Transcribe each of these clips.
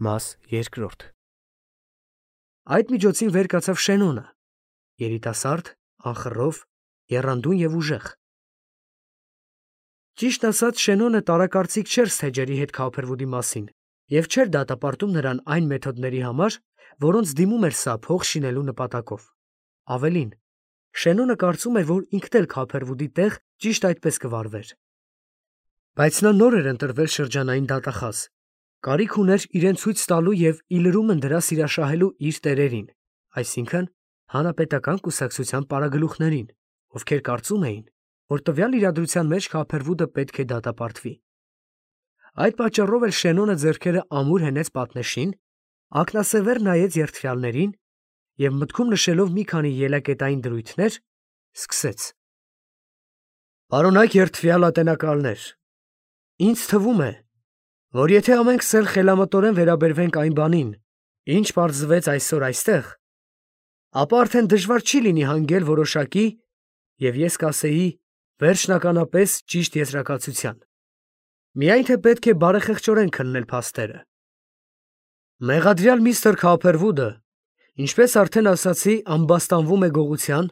Մաս երկրորդ։ Այդ միջոցին վեր կացավ Շենոնը, երիտասարդ, անխռով, եռանդուն և ուժեղ։ Ճիշտ ասած, Շենոնը տարակարծիք չէր Սթեջերի հետ Քաուփերվուդի մասին և չէր դատապարտում նրան այն մեթոդների համար, որոնց դիմում էր սա փող շինելու նպատակով։ Ավելին, Շենոնը կարծում էր, որ ինքն էլ Քաուփերվուդի տեղ ճիշտ այդպես կվարվեր։ Բայց նա նոր էր ընտրվել շրջանային դատախազ, կարիք ուներ իրեն ցույց տալու և ի լրումն դրա սիրաշահելու իր տերերին, այսինքն հանրապետական կուսակցության պարագլուխներին, ովքեր կարծում էին, որ տվյալ իրադրության մեջ Քաուփերվուդը պետք է դատապարտվի։ Այդ պատճառով էլ Շենոնը ձեռքերը ամուր հենեց պատնեշին, ակնասևեռ նայեց երդվյալներին և մտքում նշելով մի քանի ելակետային դրույթներ, սկսեց. «Պարոնայք երդվյալ ատենակալներ, ինձ թվում է, որ եթե ամենքս էլ խելամտորեն վերաբերվենք այն բանին, ինչ պարզվեց այսօր այստեղ, ապա արդեն դժվար չի լինի հանգել որոշակի և ես կասեի վերջնականապես ճիշտ եզրակացության, միայն թե պետք է բարեխեղճորեն քննել փաստերը։ Մեղադրյալ միստր Քաուփերվուդը, ինչպես արդեն ասացի, ամբաստանվում է գողության,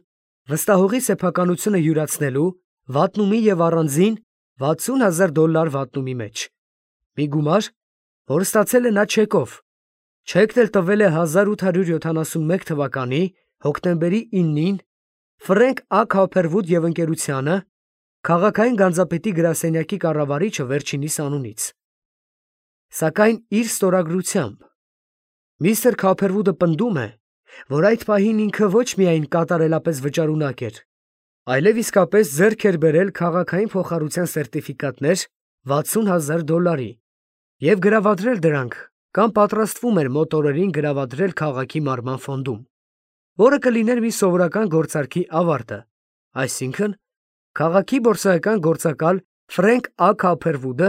վստահողի սեփականությունը յուրացնելու, վատնումի և առանձին $60,000 վատնումի մեջ, մի գումար, որ ստացել է նա չեկով, չեկն էլ տվել է 1871 թվականի հոկտեմբերի 9-ին Ֆրենկ Ա. Քաուփերվուդ և ընկերությանը, քաղաքային գանձապետի գրասենյակի կառավարիչը վերջինիս անունից։ Սակայն իր ստորագրությամբ միստր Քաուփերվուդը պնդում է, որ այդ պահին ինքը ոչ միայն կատարելապես վճարունակ էր, այլև իսկապես ձեռք էր բերել քաղաքային փոխառության սերտիֆիկատներ $60,000 և գրավադրել դրանք կամ պատրաստվում էր մոտ օրերին գրավադրել քաղաքի մարման ֆոնդում, որը կլիներ մի սովորական գործարքի ավարտը, այսինքն՝ քաղաքի բորսայական գործակալ Ֆրենկ Ա. Քաուփերվուդը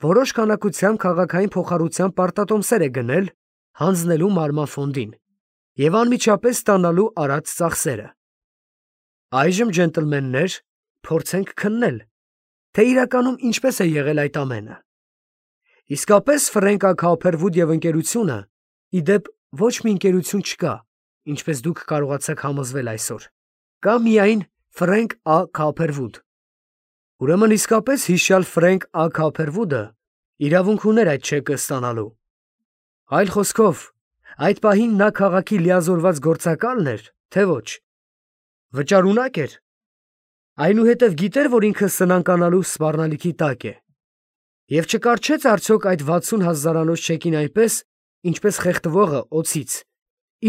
որոշ քանակությամբ քաղաքային փոխառության պարտատոմսեր է գնել, հանձնելու մարման ֆոնդին և անմիջապես ստանալու արած ծախսերը։ Այժմ, ջենտլմեններ, փորձենք քննել, թե իրականում ինչպես է եղել այդ ամենը։ Իսկապես Ֆրենկ Ա. Քաուփերվուդ և ընկերությունը, ի դեպ, ոչ մի ընկերություն չկա, ինչպես դուք կարողացաք համոզվել այսօր, կա միայն Ֆրենկ Ա. Քաուփերվուդ։ Ուրեմն իսկապես հիշյալ Ֆրենկ Ա. Քաուփերվուդը իրավունք ուներ այդ չեկը ստանալու։ Այլ խոսքով, այդ պահին նա քաղաքի լիազորված գործակալն էր, թե ոչ։ Վճարունակ էր։ Այնուհետև գիտեր, որ ինքը սնանկանալու սպառնալիքի տակ է։ Եվ չկառչեց արդյոք այդ $60,000 չեկին այնպես, ինչպես խեղդվողը օձից,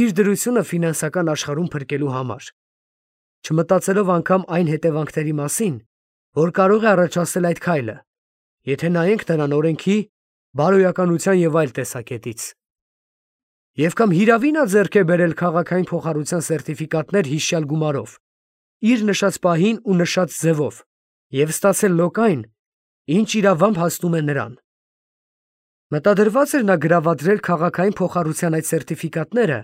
իր դրությունը ֆինանսական աշխարհում փրկելու համար, չմտածելով անգամ այն հետևանքների մասին, որ կարող է առաջացնել այդ քայլը, եթե նայենք նրան օրենքի, բարոյականության և այլ տեսակետից։ Եվ կամ հիրավի նա ձեռք է բերել քաղաքային փոխառության սերտիֆիկատներ հիշյալ գումարով, իր նշած պահին ու նշած ձևով, և ստացել լոկ այն, ինչ իրավամբ հասնում է նրան։ Մտադրված էր նա գրավադրել քաղաքային փոխառության այդ սերտիֆիկատները,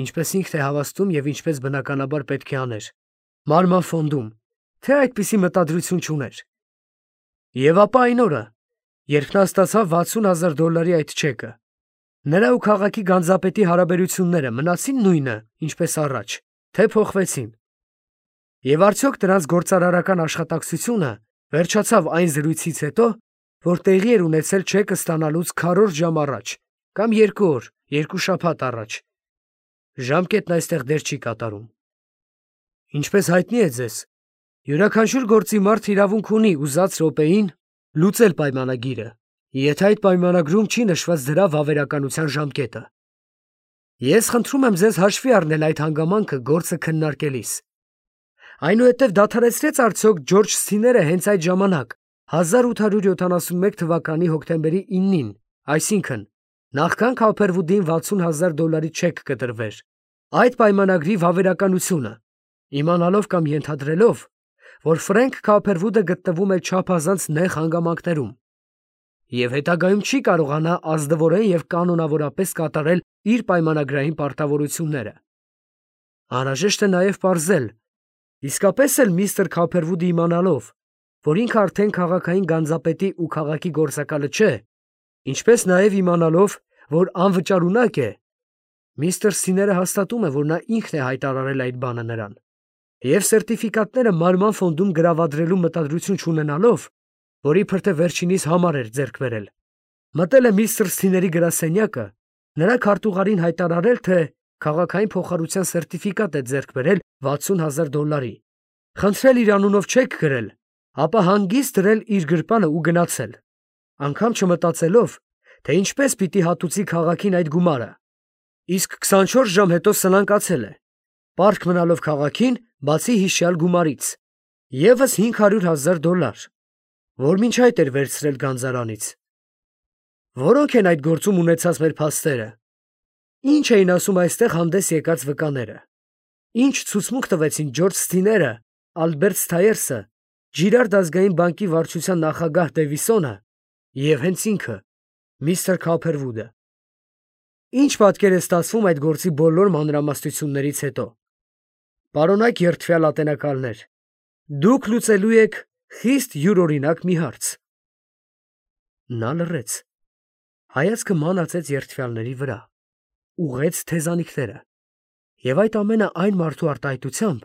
ինչպես ինքն է հավաստում և ինչպես բնականաբար պետք է աներ, մարման ֆոնդում, թե այդպիսի մտադրություն չուներ։ Եվ ապա այն օրը, երբ նա ստացավ $60,000 այդ չեկը, նրա ու քաղաքի գանձապետի հարաբերությունները մնացի՞ն նույնը, ինչպես առաջ, թե փոխվեցին։ Եվ արդյոք դրանց գործարարական աշխատակցությունը վերջացավ այն զրույցից հետո, որ տեղի էր ունեցել չեկը ստանալուց քառորդ ժամ առաջ, կամ 2 օր, 2 շաբաթ առաջ։ Ժամկետն այստեղ դեր չի կատարում։ Ինչպես հայտնի է ձեզ, յուրաքանչյուր գործի մարդ իրավունք ունի ուզած րոպեին լուծել պայմանագիրը, եթե այդ պայմանագրում չի նշված դրա վավերականության ժամկետը։ Ես խնդրում եմ ձեզ հաշվի առնել այդ հանգամանքը գործը քննարկելիս։ Այնուհետև դադարեցրեց արդյոք Ջորջ Սթիները հենց այդ ժամանակ, 1871 թվականի հոկտեմբերի 9-ին, այսինքն, նախքան Քաուփերվուդին $60,000 չեք կտրվեր, այդ պայմանագրի վավերականությունը, իմանալով կամ ենթադրելով, որ Ֆրենկ Քաուփերվուդը գտնվում է չափազանց նեղ հանգամանքներում և հետագայում չի կարողանա ազնվորեն և կանոնավորապես կատարել իր պայմանագրային պարտավորությունները։ Անհրաժեշտ է նաև պարզել, իսկապես էլ միստր Քաուփերվուդը իմանալով, որ ինքը արդեն քաղաքային գանձապետի ու քաղաքի գործակալը չէ, Ինչպես նաև իմանալով, որ անվճարունակ է, միստր Սիները հաստատում է, որ նա ինքն է հայտարարել այդ բանը նրան, և սերտիֆիկատները մարման ֆոնդում գրավադրելու մտադրություն չունենալով, որ իբր թե վերջինիս համար էր ձեռք բերել, մտել է միստր Սիների գրասենյակը, նրա քարտուղարին հայտարարել, թե քաղաքային փոխհարության սերտիֆիկատ է ձեռք բերել $60,000, խնդրել իր անունով չեք գրել, ապա հանգիստ դրել իր գրպանը ու գնացել, անգամ չմտածելով, թե ինչպես պիտի հատուցի քաղաքին այդ գումարը, իսկ 24 ժամ հետո սնանկացել է, պարտք մնալով քաղաքին, բացի հիշյալ գումարից, ևս $500,000, որ մինչ այդ էր վերցրել գանձարանից։ Որոնք են այդ գործում ունեցած մեր փաստերը։ Ինչ էին ասում այստեղ հանդես եկած վկաները։ Ինչ ցուցմունք տվեցին Ջորջ Սթիները, Ալբերտ Սթայերսը, Ջիրարդ ազգային բանկի վարչության նախագահ Դեվիսոնը և հենց ինքը, միստր Քոփերվուդը։ Ինչ պատկեր է ստացվում այդ գործի բոլոր մանրամասնություններից հետո։ Պարոնայք երդվյալ ատենակալներ, դուք լուծելու եք խիստ յուրօրինակ մի հարց։ Նա լռեց, հայացքը մանացեց երդվյալների վրա, ուղղեց թեզանիքները, և այդ ամենը այն մարդու արտահայտությամբ,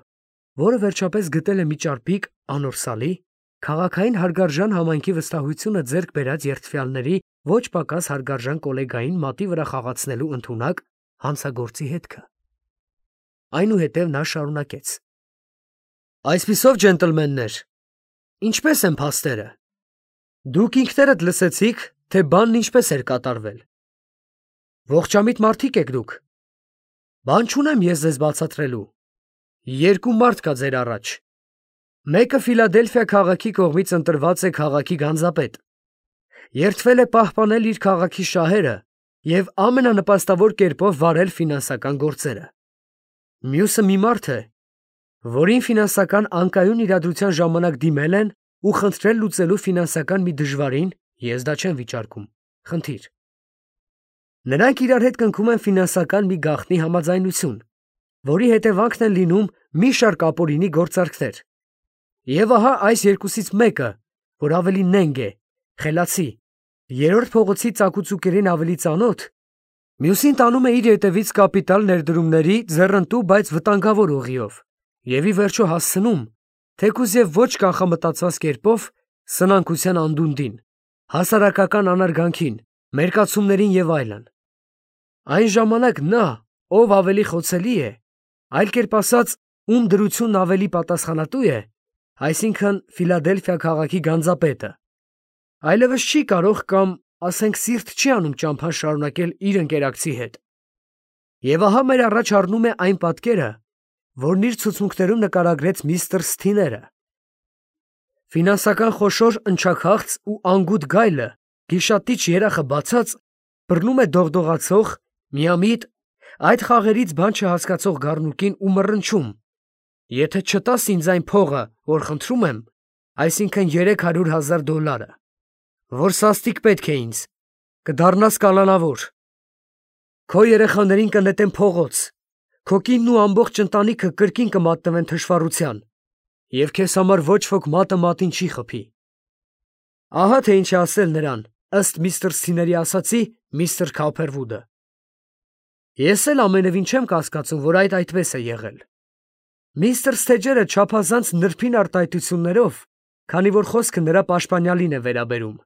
որը վերջապես գտել է մի ճարպիկ անորսալի, քաղաքային հարգարժան համայնքի վստահությունը ձեռք բերած երդվյալների ոչ պակաս հարգարժան կոլեգային մատի վրա խաղացնելու ընդունակ հանցագործի հետքը։ Այնուհետև նա շարունակեց. Այսպիսով, ջենտլմեններ, ինչպե՞ս են փաստերը։ Դուք ինքներդ լսեցիք, թե բանն ինչպես էր կատարվել։ Ողջամիտ մարդիկ եք դուք։ Բան չունեմ ես ձեզ բացատրելու։ Երկու մարդ կա ձեր առաջ։ Մեկը Ֆիլադելֆիա քաղաքի կողմից ընտրված է քաղաքի գանձապետ։ Երդվել է պահպանել իր քաղաքի շահերը և ամենանպաստավոր կերպով վարել ֆինանսական գործերը։ Մյուսը մի մարդ է, որին ֆինանսական անկայուն իրադրության ժամանակ դիմել են ու խնդրել լուծելու ֆինանսական մի դժվարին, ես դա չեմ վիճարկում, խնդիր։ Նրանք իրար հետ կնքում են ֆինանսական մի գաղտնի համաձայնություն, որի հետևանքն են լինում մի շարք ապօրինի գործարքներ։ Եվ ահա այս երկուսից մեկը, որ ավելի նենգ է, խելացի, երրորդ փողոցի ծակուցուկերին ավելի ծանոթ, մյուսին տանում է իր հետևից կապիտալ ներդրումների ձեռնտու, բայց վտանգավոր ուղիով, և ի վերջո հասցնում, թեկուզ և ոչ կանխամտածված կերպով, սնանկության անդունդին, հասարակական անարգանքին, մերկացումներին և այլն։ Այն ժամանակ նա, ով ավելի խոցելի է, այլ կերպ ասած, ում դրությունն ավելի պատասխանատու է, այսինքն Ֆիլադելֆիա քաղաքի գանձապետը, այլևս չի կարող կամ, ասենք, սիրտ չի անում ճամփան շարունակել իր ընկերակցի հետ։ Եվ ահա մեր առաջ առնում է այն պատկերը, որն իր ցուցմունքներում նկարագրեց միստր Սթիները։ Ֆինանսական խոշոր ընչաքաղց ու անգութ գայլը, գիշատիչ երախը բացած, բռնում է դողդողացող, միամիտ, այդ խաղերից բան չհասկացող գառնուկին ու մռնչում. եթե չտաս ինձ այն փողը, որ խնդրում եմ, այսինքն $300,000, որ սաստիկ պետք է ինձ, կդառնաս կալանավոր, քո երեխաներին կնետեմ փողոց, քո կինն ու ամբողջ ընտանիքը կրկին կմատնվեն թշվառության, և քեզ համար ոչ ոք մատը մատին չի խփի։ Ահա թե ինչ է ասել նրան, ըստ միստր Սիների ասացի, միստր Քոփերվուդը։ Ես էլ ամենևին չեմ կասկածում, որ այդպես է եղել։ Միստր Սթեջերը չափազանց նրբին արտահայտություններով, քանի որ խոսքը նրա պաշտպանյալին է վերաբերում,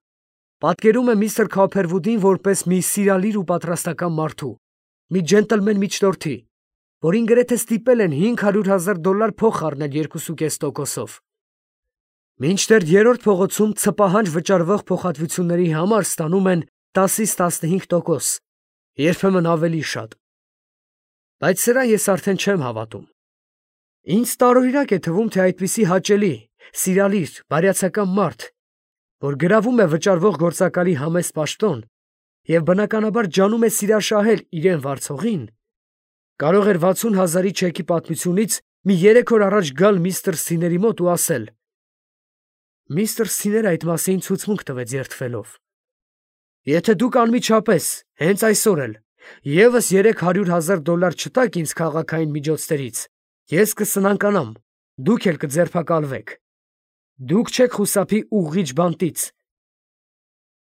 պատկերում է միստր Քոփերվուդին որպես մի սիրալիր ու պատրաստական մարդու, մի ջենտլմեն միջնորդի, որին գրեթե ստիպել են $500,000 փող խառնել 2.5%-ով։ Մինչդեռ երրորդ փողոցում ցպահանջ վճարվող փոխհատվությունների համար ստանում են 10-ից 15%, երբեմն ավելի շատ։ Բայց սրան ես արդեն չեմ հավատում։ Ինձ տարօրինակ է թվում, թե այդպիսի հաճելի, սիրալիր, բարյացակամ մարդ, որ գրավում է վճարվող գործակալի համեստ պաշտոն և բնականաբար ջանում է սիրաշահել իրեն վարձողին, կարող էր 60,000-ի չեքի պատմությունից մի 3 օր առաջ գալ միստր Սիների մոտ ու ասել. միստր Սիները այդ մասին ցուցմունք տվեց երդվելով. եթե դուք անմիջապես, հենց այսօր էլ, ևս $300,000 չտաք ինձ քաղաքային միջոցներից, ես կսնանկանամ, դուք էլ կձերբակալվեք։ Դուք չեք խուսափի ուղղիչ բանտից։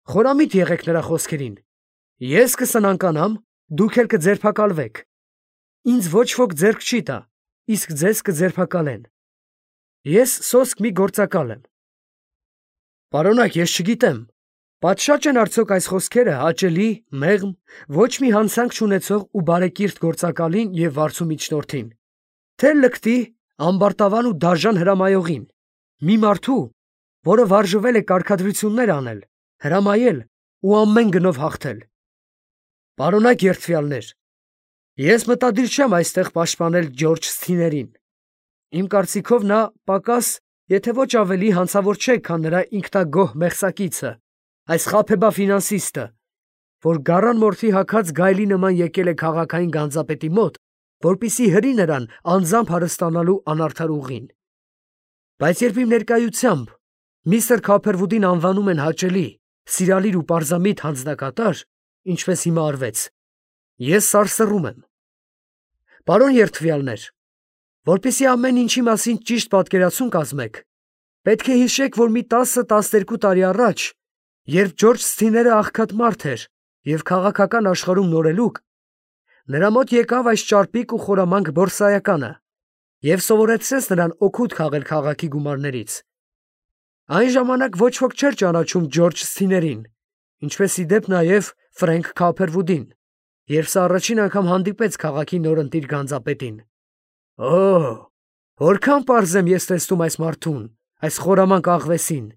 Խորամիտ եղեք նրա խոսքերին։ Ես կսնանկանամ, դուք էլ կձերբակալվեք։ Ինձ ոչ ոք ձեռք չի տա, իսկ ձեզ կձերբակալեն։ Ես սոսկ մի գործակալ եմ։ Պարոնակ, ես չգիտեմ, պատշաճ են արդյոք այս խոսքերը հաճելի, մեղմ, ոչ մի հանցանք չունեցող ու բարեկիրթ գործակալին և վարձու միջնորդին, թե լկտի, ամբարտավան ու դաժան հրամայողին, մի մարդու, որը վարժվել է կարգադրություններ անել, հրամայել ու ամեն գնով հաղթել։ Պարոնակ երդվյալներ, ես մտադիր չեմ այստեղ պաշտպանել Ջորջ Սթիներին։ Իմ կարծիքով նա պակաս, եթե ոչ ավելի հանցավոր չէ, քան նրա ինքնագոհ մեղսակիցը, այս խաբեբա ֆինանսիստը, որ գառան մորթի հագած գայլի նման եկել է քաղաքային գանձապետի մոտ, որպեսզի հրի նրան անձամբ հարստանալու անարդար ուղին։ Բայց երբ իմ ներկայությամբ միստր Քոփերվուդին անվանում են հաճելի, սիրալիր ու պարզամիտ հանձնակատար, ինչպես հիմա արվեց, ես սարսռում եմ։ Պարոն երդվյալներ, որպեսզի ամեն ինչի մասին ճիշտ պատկերացում կազմեք, պետք է հիշեք, որ մի 10-12 տարի առաջ, երբ Ջորջ Սթիները աղքատ մարդ էր և քաղաքական աշխարհում նորելուկ, նրա մոտ եկավ այս ճարպիկ ու խորամանկ բորսայականը և սովորեցրեց նրան օգուտ քաղել քաղաքի գումարներից։ Այն ժամանակ ոչ ոք չէր ճանաչում Ջորջ Սթիներին, ինչպես ի դեպ նաև Ֆրենք Քոփերվուդին, երբ սա առաջին անգամ հանդիպեց քաղաքի նորընտիր գանձապետին։ Օ՜, որքան պարզ եմ ես տեսնում այս մարդուն, այս խորամանկ աղվեսին։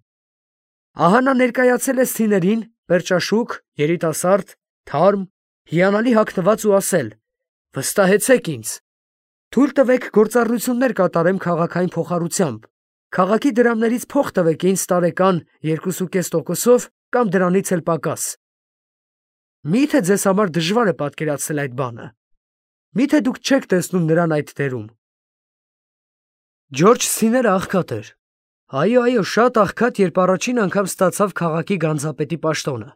Ահա նա ներկայացել է Սթիներին, պերճաշուք, երիտասարդ, թարմ, հիանալի հագնված ու ասել. «Վստահեցեք ինձ, թույլ տվեք գործառնություններ կատարեմ քաղաքային փոխառությամբ, քաղաքի դրամներից փող տվեք ինձ տարեկան 2.5%-ով կամ դրանից էլ պակաս»։ Մի՞թե ձեզ համար դժվար է պատկերացնել այդ բանը։ Մի՞թե դուք չեք տեսնում նրան այդ դերում։ Ջորջ Սթիները աղքատ էր։ Այո, շատ աղքատ, երբ առաջին անգամ ստացավ քաղաքի գանձապետի պաշտոնը։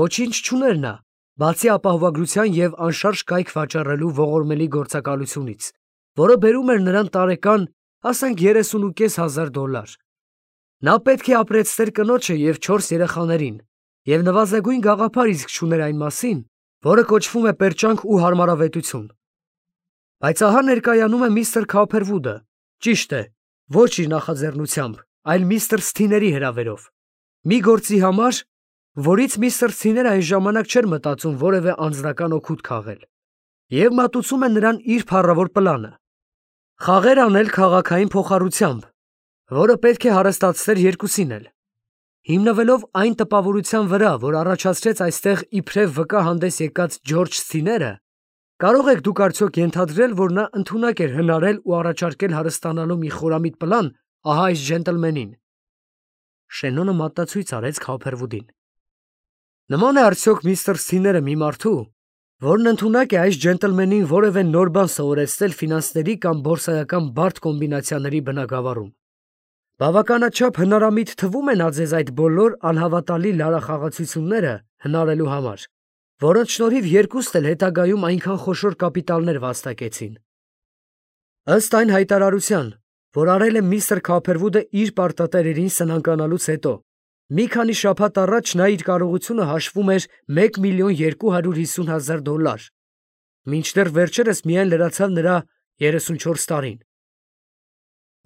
Ոչինչ չուներ նա, բացի ապահովագրության և անշարժ կայք վաճառելու ողորմելի գործակալությունից, որը բերում էր նրան տարեկան, ասենք $30,500։ Նա պետք է ապրեցներ կնոջը և 4 երեխաներին, և նվազագույն գաղափար իսկ չուներ այն մասին, որը կոչվում է պերճանք ու հարմարավետություն։ Բայց ահա ներկայանում է միստր Քոփերվուդը, ճիշտ է, ոչ իր նախաձեռնությամբ, այլ միստր Սթիների հրավերով, մի գործի համար, որից միստր Սթիները այն ժամանակ չէր մտածում որևէ անձնական օգուտ քաղել, և մատուցում է նրան իր փառավոր պլանը. խաղեր անել քաղաքային փոխառությամբ, որը պետք է հարստացներ երկուսին էլ։ Հիմնվելով այն տպավորության վրա, որ առաջացրեց այստեղ իբրև վկա հանդես եկած Ջորջ Սթիները, կարող եք դուք արդյոք ենթադրել, որ նա ընդունակ էր հնարել ու առաջարկել հարստանալու մի խորամիտ պլան ահա այս ջենտլմենին։ Շենոնը մատածույց արեց Քոփերվուդին։ Նման է արդյոք միստր Սթիները մի մարդու, որն ընդունակ է այս ջենտլմենին որևէ նոր բան սովորեցնել ֆինանսների կամ բորսայական բարդ կոմբինացիաների բնագավառում։ Բավականաչափ հնարամիտ թվում է նա ձեզ այդ բոլոր անհավատալի լարախաղացությունները հնարելու համար, որոնց շնորհիվ երկուստ էլ հետագայում այնքան խոշոր կապիտալներ վաստակեցին։ Ըստ այն հայտարարության, որ արել է միստր Քոփերվուդը իր պարտատերերին սնանկանալուց հետո, մի քանի շաբաթ առաջ նա իր կարողությունը հաշվում էր $1,250,000, մինչդեռ վերջերս միայն լրացավ նրա 34 տարին։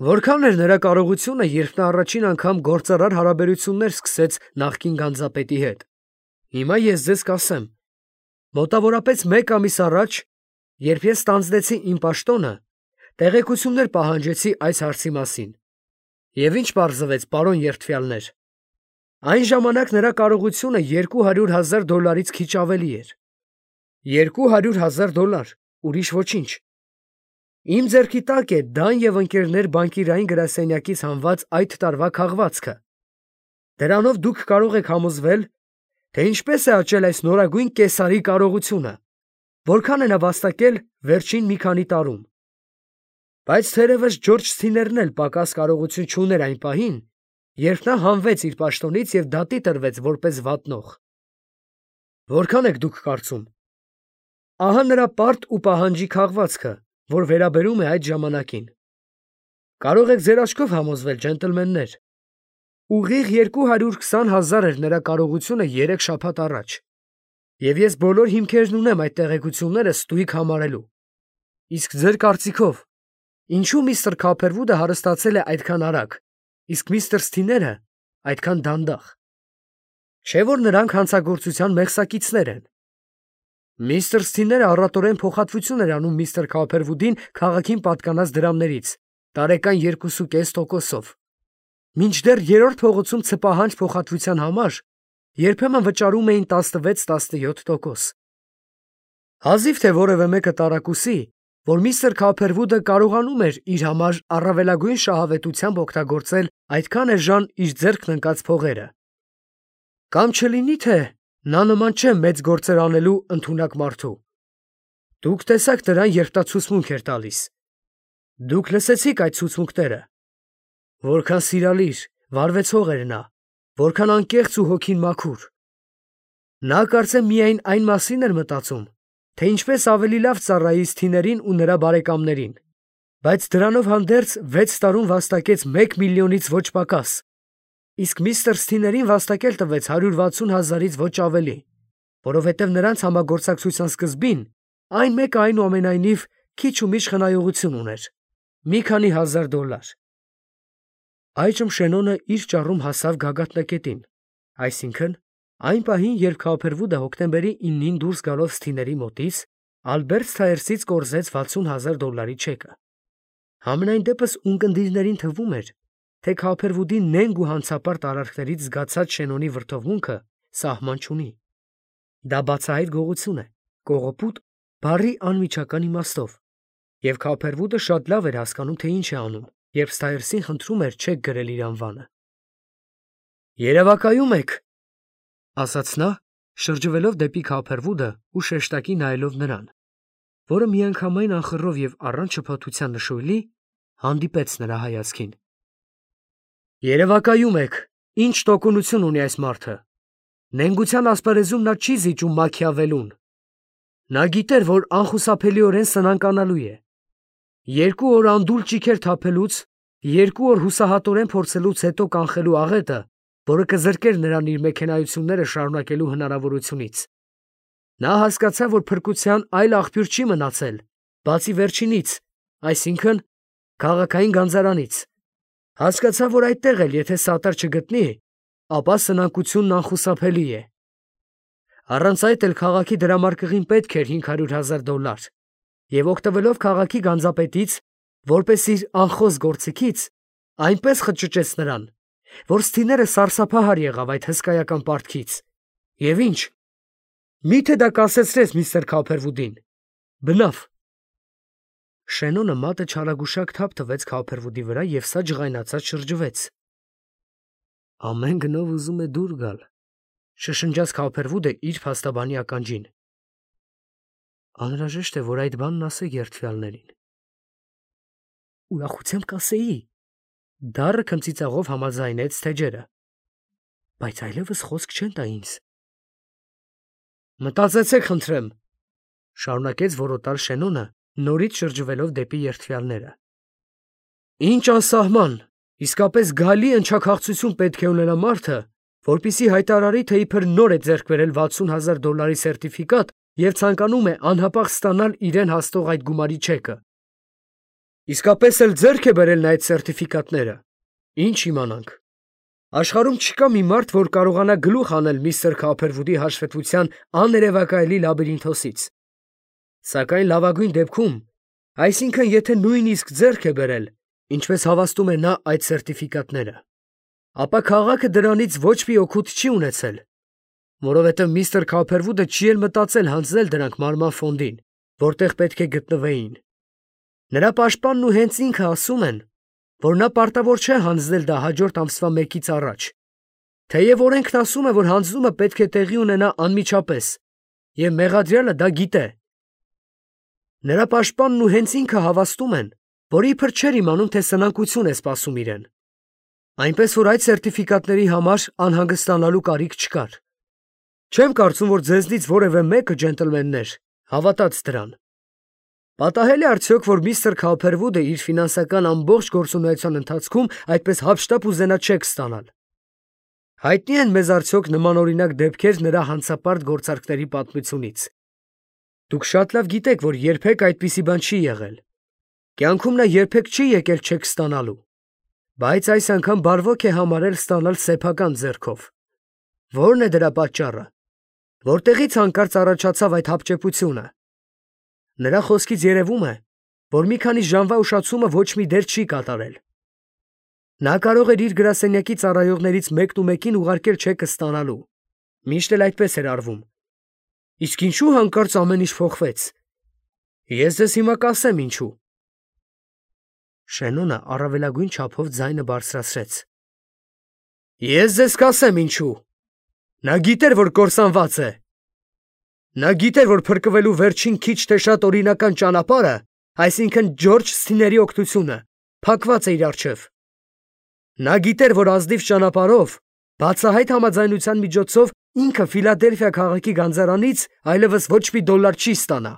Որքան էր նրա կարողությունը, երբ նա առաջին անգամ գործարար հարաբերություններ սկսեց նախկին գանձապետի հետ։ Հիմա ես ձեզ կասեմ. մոտավորապես 1 ամիս առաջ, երբ ես ստանձնեցի իմ պաշտոնը, տեղեկություններ պահանջեցի այս հարցի մասին։ Եվ ինչ պարզվեց, պարոն երդվյալներ։ Այն ժամանակ նրա կարողությունը $200,000-ից քիչ ավելի էր։ $200,000, ուրիշ ոչինչ։ Իմ ձեռքի տակ է Դան և ընկերներ բանկիրային գրասենյակից հանված այդ տարվա քաղվածքը։ Դրանով դուք կարող եք համոզվել, թե ինչպես է աճել այս նորագույն կեսարի կարողությունը, որքան է նա վաստակել վերջին մի քանի տարում։ Բայց թերևս Ջորջ Սթիներն էլ պակաս կարողություն չուներ այն պահին, երբ նա հանվեց իր պաշտոնից և դատի տրվեց որպես վատնող։ Որքան եք դուք կարծում։ Ահա նրա պարտ ու պահանջի քաղվածքը, որ վերաբերում է այդ ժամանակին։ Կարող եք ձեր աչքով համոզվել, ջենտլմեններ։ Ուղիղ 220,000 էր նրա կարողությունը 3 շաբաթ առաջ, և ես բոլոր հիմքերն ունեմ այդ տեղեկությունները ստույգ համարելու։ Իսկ ձեր կարծիքով, ինչու միստր Քոփերվուդը հարստացել է այդքան արագ, իսկ միստր Սթիները այդքան դանդաղ։ Չէ՞ որ նրանք հանցագործության մեղսակիցներ են։ Միստր Սթիները առատորեն փոխհատվություն էր անում միստր Քոփերվուդին քաղաքին պատկանած դրամներից, տարեկան 2.5%-ով, մինչդեռ երրորդ փողոցում ցպահանջ փոխհատվության համար երբեմն վճարում էին 16-17%։ Հազիվ թե որևէ մեկը տարակուսի, որ միստր Քոփերվուդը կարողանում էր իր համար առավելագույն շահավետությամբ օգտագործել այդքան էժան իր ձեռքն ընկած փողերը։ Կամ չլինի թե նա նման չէ մեծ գործեր անելու ընդունակ մարդու։ Դուք տեսաք նրան, երբ նա ցուցմունք էր տալիս։ Դուք լսեցիք այդ ցուցմունքները։ Որքան սիրալիր, վարվեցող էր նա, որքան անկեղծ ու հոգին մաքուր։ Նա կարծեմ միայն այն մասին էր մտածում, թե ինչպես ավելի լավ ծառայի Սթիներին ու նրա բարեկամներին, բայց դրանով հանդերձ 6 տարում վաստակեց 1 միլիոնից ոչ պակաս, իսկ միստր Սթիներին վաստակել տվեց 160,000-ից ոչ ավելի, որովհետև նրանց համագործակցության սկզբին այն մեկը այնուամենայնիվ քիչ ու միշ խնայողություն ուներ, մի քանի $1,000։ Այժմ Շենոնը իր ճառում հասավ գագաթնակետին, այսինքն այն պահին, երբ Քոփերվուդը հոկտեմբերի 9-ին դուրս գալով Սթիների մոտից, Ալբերտ Սթայերսից կորզեց $60,000 չեկը։ Համենայն դեպս ունկնդիրներին թվում էր, թե Քոփերվուդի նենգ ու հանցապարտ արարքներից զգացած Շենոնի վրդովմունքը սահման չունի։ Դա բացահայտ գողություն է, կողոպուտ, բառի անմիջական իմաստով, և Քոփերվուդը շատ լավ էր հասկանում, թե ինչ է անում, երբ Սթայերսին խնդրում էր չեք գրել իր անվանը։ «Երևակայում եք», ասաց նա, շրջվելով դեպի Քոփերվուդը ու շեշտակի նայելով նրան, որը միանգամայն անխռով և առանց շփոթության նշույլի հանդիպեց նրա հայացքին։ «Երևակայում եք, ինչ տոկունություն ունի այս մարդը։ Նենգության ասպարեզում նա չի զիջում Մաքիավելուն։ Նա գիտեր, որ անխուսափելիորեն սնանկանալու է։ 2 օր անդուլ ճիգեր թափելուց, 2 օր հուսահատորեն փորձելուց հետո կանխելու աղետը, որը կզրկեր նրան իր մեքենայությունները շարունակելու հնարավորությունից։ Նա հասկացավ, որ փրկության այլ աղբյուր չի մնացել, բացի վերջինից, այսինքն քաղաքային գանձարանից։ Հասկացավ, որ այդտեղ էլ եթե սատար չգտնի, ապա սնանկությունն անխուսափելի է։ Առանց այդ էլ քաղաքի դրամարկղին պետք էր $500,000, և օգտվելով քաղաքի գանձապետից, որպես իր անխոս գործիքից, այնպես խճճեց նրան, որ Սթիները սարսափահար եղավ այդ հսկայական պարտքից։ Եվ ինչ, մի՞թե դա կասեցրեց միստր Քոփերվուդին։ Բնավ։ Շենոնը մատը չարագուշակ թափ տվեց Քոփերվուդի վրա և սա ջղայնացած շրջվեց։ Ամեն գնով ուզում է դուր գալ, շշնջաց Քոփերվուդը իր փաստաբանի ականջին։ Անհրաժեշտ է, որ այդ բանն ասեք երդվյալներին։ Ուրախությամբ կասեի, դառը քմծիծաղով համաձայնեց թեջերը, բայց այլևս խոսք չեն տա ինձ։ Մտածեցեք, խնդրեմ, շարունակեց որոտալ Շենոնը, նորից շրջվելով դեպի երդվյալները։ Ինչ անսահման, իսկապես գալի ընչաքաղցություն պետք է ունենա մարդը, որպեսզի հայտարարի, թե իբր նոր է ձեռք բերել $60,000 սերտիֆիկատ և ցանկանում է անհապաղ ստանալ իրեն հասնող այդ գումարի չեկը։ Իսկապես էլ ձեռք է բերել նա այդ սերտիֆիկատները։ Ինչ իմանանք։ Աշխարհում չկա մի մարդ, որ կարողանա գլուխ անել միստր Քոփերվուդի հաշվետվության աներևակայելի լաբիրինթոսից։ Սակայն լավագույն դեպքում, այսինքն եթե նույնիսկ ձեռք է բերել, ինչպես հավաստում է նա այդ սերտիֆիկատները, ապա քաղաքը դրանից ոչ մի օգուտ չի ունեցել, որովհետև միստր Քոփերվուդը չի էլ մտածել հանձնել դրանք մարման ֆոնդին, որտեղ պետք է գտնվեին։ Նրա պաշտպանն ու հենց ինքը ասում են, որ նա պարտավոր չէ հանձնել դա հաջորդ ամսվա 1-ից առաջ, թեև օրենքն ասում է, որ հանձնումը պետք է տեղի ունենա անմիջապես, և մեղադրյալը դա գիտե։ Նրա պաշտպանն ու հենց ինքը հավաստում են, որ իբր չէր իմանում, թե սնանկություն է սպասում իրեն, այնպես որ այդ սերտիֆիկատների համար անհանգստանալու կարիք չկար։ Չեմ կարծում, որ ձեզնից որևէ մեկը, ջենտլմեններ, հավատաց դրան։ Պատահել է արդյոք, որ միստր Քոփերվուդը իր ֆինանսական ամբողջ գործունեության ընթացքում այդպես հափշտապ ուզենա չեք ստանալ։ Հայտնի են մեզ արդյոք նմանօրինակ դեպքեր նրա հանցապարտ գործարքների պատմությունից։ Դուք շատ լավ գիտեք, որ երբեք այդպիսի բան չի եղել։ Կյանքում նա երբեք չի եկել չեք ստանալու, բայց այս անգամ բարվոք է համարել ստանալ սեփական ձեռքով։ Ո՞րն է դրա պատճառը։ Որտեղից հանկարծ առաջացավ այդ հապճեպությունը։ Նրա խոսքից երևում է, որ մի քանի ժամվա ուշացումը ոչ մի դեր չի կատարել։ Նա կարող էր իր գրասենյակի ծառայողներից մեկն ու մեկին ուղարկել չեկը ստանալու։ Միշտ էլ այդպես էր արվում։ Իսկ ինչու հանկարծ ամեն ինչ փոխվեց։ Ես ձեզ հիմա կասեմ ինչու։ Շենոնը առավելագույն չափով ձայնը բարձրացրեց։ Ես ձեզ կասեմ ինչու։ Նա գիտեր, որ կորսանված է։ Նա գիտեր, որ փրկվելու վերջին քիչ թե շատ օրինական ճանապարհը, այսինքն Ջորջ Սթիների օգնությունը, փակված է իր առջև։ Նա գիտեր, որ ազնիվ ճանապարհով, բացահայտ համաձայնության միջոցով ինքը Ֆիլադելֆիա քաղաքի գանձարանից այլևս ոչ մի դոլար չի ստանա։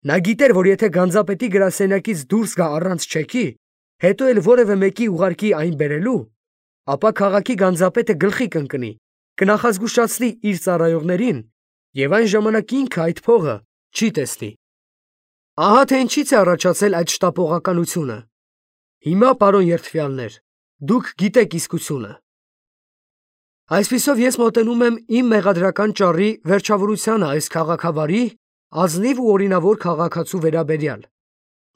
Նա գիտեր, որ եթե գանձապետի գրասենյակից դուրս գա առանց չեկի, հետո էլ որևէ մեկի ուղարկի այն բերելու, ապա քաղաքի գանձապետը գլխի կընկնի, կնախազգուշացնի իր ծառայողներին, եւ այն ժամանակ ինքը այդ փողը չի տեսնի։ Ահա թե ինչից է առաջացել այդ շտապողականությունը։ Հիմա, պարոն երդվյալներ, դուք գիտեք իսկությունը։ Այսպիսով ես մոտենում եմ իմ մեղադրական ճառի վերջավորությանը այս քաղաքավարի, ազնիվ ու օրինավոր քաղաքացու վերաբերյալ,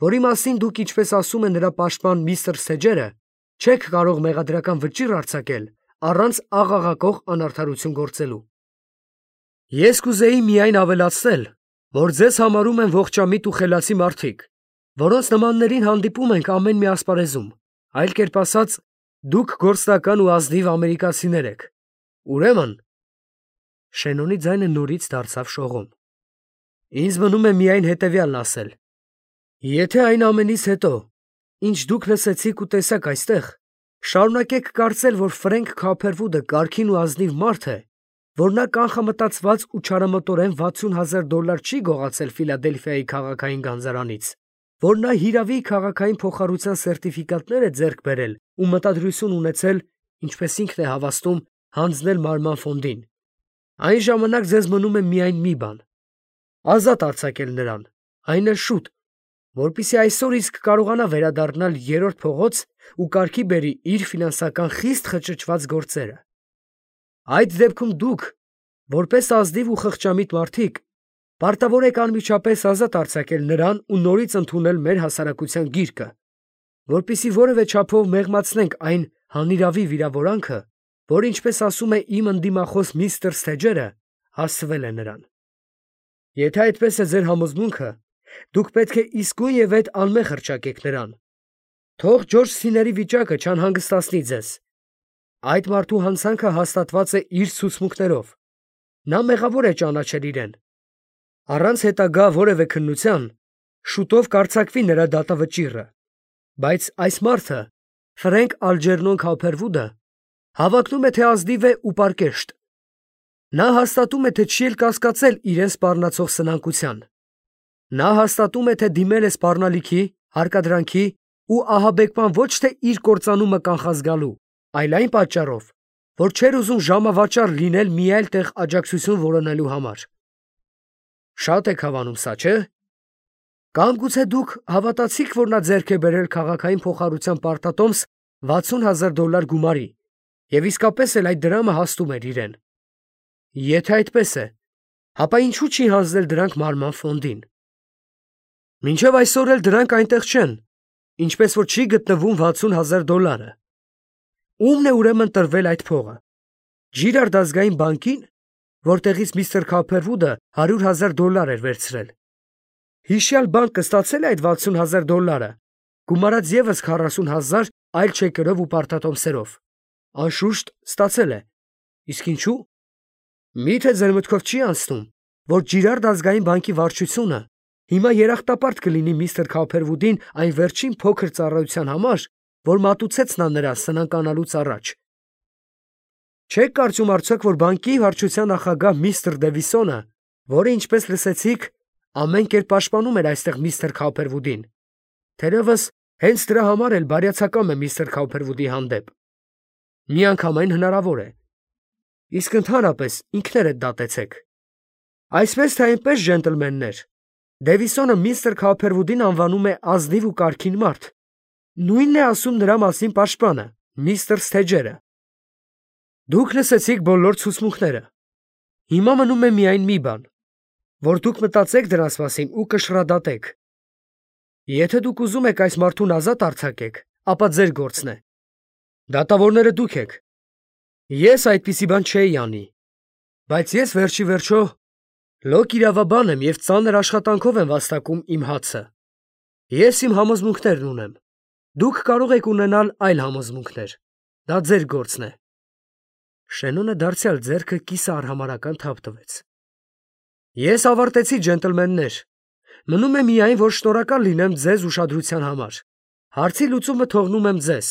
որի մասին դուք, ինչպես ասում է նրա պաշտպան միստր Սեջերը, չեք կարող մեղադրական վճիռ արձակել առանց աղաղակող անարդարություն գործելու։ Ես կուզեի միայն ավելացնել, որ ձեզ համարում են ողջամիտ ու խելացի մարդիկ, որոնց նմաններին հանդիպում ենք ամեն մի ասպարեզում, այլ կերպ ասած, դուք գործնական ու ազնիվ ամերիկացիներ եք։ Ուրեմն, Շենոնի ձայնը նորից դարձավ շողում։ Ինձ մնում է միայն հետևյալն ասել. եթե այն ամենից հետո, ինչ դուք լսեցիք ու տեսաք այստեղ, շարունակեք կարծել, որ Ֆրենք Քափերվուդը կարգին ու ազնիվ մարդ է, որ նա կանխամտածված ու չարամտորեն $60,000 չի գողացել Ֆիլադելֆիայի քաղաքային գանձարանից, որ նա հիրավի քաղաքային փոխառության սերտիֆիկատներ է ձեռք բերել ու մտադրություն ունեցել, ինչպես ինքն է հավաստում, հանձնել մարման ֆոնդին, այն ժամանակ ձեզ մնում է միայն մի բան. ազատ արձակել նրան, այն էլ շուտ, որպեսզի այսօր իսկ կարողանա վերադառնալ երրորդ փողոց ու կարգի բերի իր ֆինանսական խիստ խճճված գործերը։ Այդ դեպքում դուք, որպես ազնիվ ու խղճամիտ մարդիկ, պարտավոր եք անմիջապես ազատ արձակել նրան ու նորից ընդունել մեր հասարակության գիրկը, որպեսզի որևէ չափով մեղմացնենք այն հանիրավի վիրավորանքը, որ, ինչպես ասում է իմ ընդդիմախոս միստր Սթեջերը, հասցվել է նրան։ Եթե այդպես է ձեր համոզմունքը, դուք պետք է իսկույն եւ այդ անմեղ հռչակեք նրան։ Թող Ջորջ Սթիների վիճակը չանհանգստացնի ձեզ։ Այդ մարդու հանցանքը հաստատված է իր ցուցմունքներով։ Նա մեղավոր է ճանաչել իրեն։ Առանց հետագա որևէ քննության, շուտով կարձակվի նրա դատավճիռը, բայց այս մարդը, Ֆրենք Ալջերնոն Քափերվուդը, հավակնում է, թե ազնիվ է ու պարկեշտ։ Նա հաստատում է, թե չի էլ կասկածել իրեն սպառնացող սնանկության։ Նա հաստատում է, թե դիմել է սպառնալիքի, հարկադրանքի ու ահաբեկման ոչ թե իր կործանումը կանխազգալու, այլ այն պատճառով, որ չէր ուզում ժամավաճառ լինել մի այլ տեղ աջակցություն որոնելու համար։ Շատ եք հավանում սա, չէ՞։ Կամ գուցե դուք հավատացիք, որ նա ձեռք է բերել քաղաքային փոխառության պարտատոմս $60,000 գումարի, և իսկապես էլ այդ դրամը հասնում էր իրեն։ Եթե այդպես է, ապա ինչու չի հանձնել դրանք մարման ֆոնդին։ Մինչև այսօր էլ դրանք այնտեղ չեն, ինչպես որ չի գտնվում $60,000։ Ո՞ւմն է ուրեմն տրվել այդ փողը։ Ջիրարդ ազգային բանկի՞ն, որտեղից միստր Քափերվուդը $100,000 էր վերցրել։ Հիշյալ բանկը ստացել է այդ $60,000, գումարած ևս 40,000 այլ չեկերով ու պարտատոմսերով։ Անշուշտ ստացել է։ Իսկ ինչու։ Միթե ձեր մտքով չի անցնում, որ Ջիրարդ ազգային բանկի վարչությունը հիմա երախտապարտ կլինի միստր Քափերվուդին այն վերջին փոքր ծառայության համար, որ մատուցեց նա նրա սնանկանալուց առաջ։ Չեք կարծում արդյոք, որ բանկի վարչության նախագահ միստր Դևիսոնը, որը, ինչպես լսեցիք, ամեն կերպ պաշտպանում էր այստեղ միստր Քափերվուդին, թերևս հենց դրա համար էլ բարյացակամ է միստր Քափերվուդի հանդեպ։ Միանգամայն հնարավոր է, Իսկ ընդհանրապես ինքներդ դատեցեք։ Այսպես թե այնպես, ջենտլմեններ, Դևիսոնը միստր Քափերվուդին անվանում է ազնիվ ու կարգին մարդ։ Նույնն է ասում նրա մասին պաշտպանը, միստր Սթեջերը։ Դուք լսեցիք բոլոր ցուցմունքները։ Հիմա մնում է միայն մի բան, որ դուք մտածեք դրանց մասին ու կշռադատեք։ Եթե դուք ուզում եք այս մարդուն ազատ արձակեք, ապա ձեր գործն է։ Դատավորները դուք եք։ Ես այդպիսի բան չէի անի։ Բայց ես վերջի վերջո լոկ իրավաբան եմ և ծանր աշխատանքով եմ վաստակում իմ հացը։ Ես իմ համոզմունքներն ունեմ։ Դուք կարող եք ունենալ այլ համոզմունքներ։ Դա ձեր գործն է։ Շենոնը դարձյալ ձեռքը կիսը արհամարհական թափ տվեց։ Ես ավարտեցի, ջենտլմեններ։ Մնում է միայն, որ շնորհակալ լինեմ ձեզ ուշադրության համար։ Հարցի լուծումը թողնում եմ ձեզ։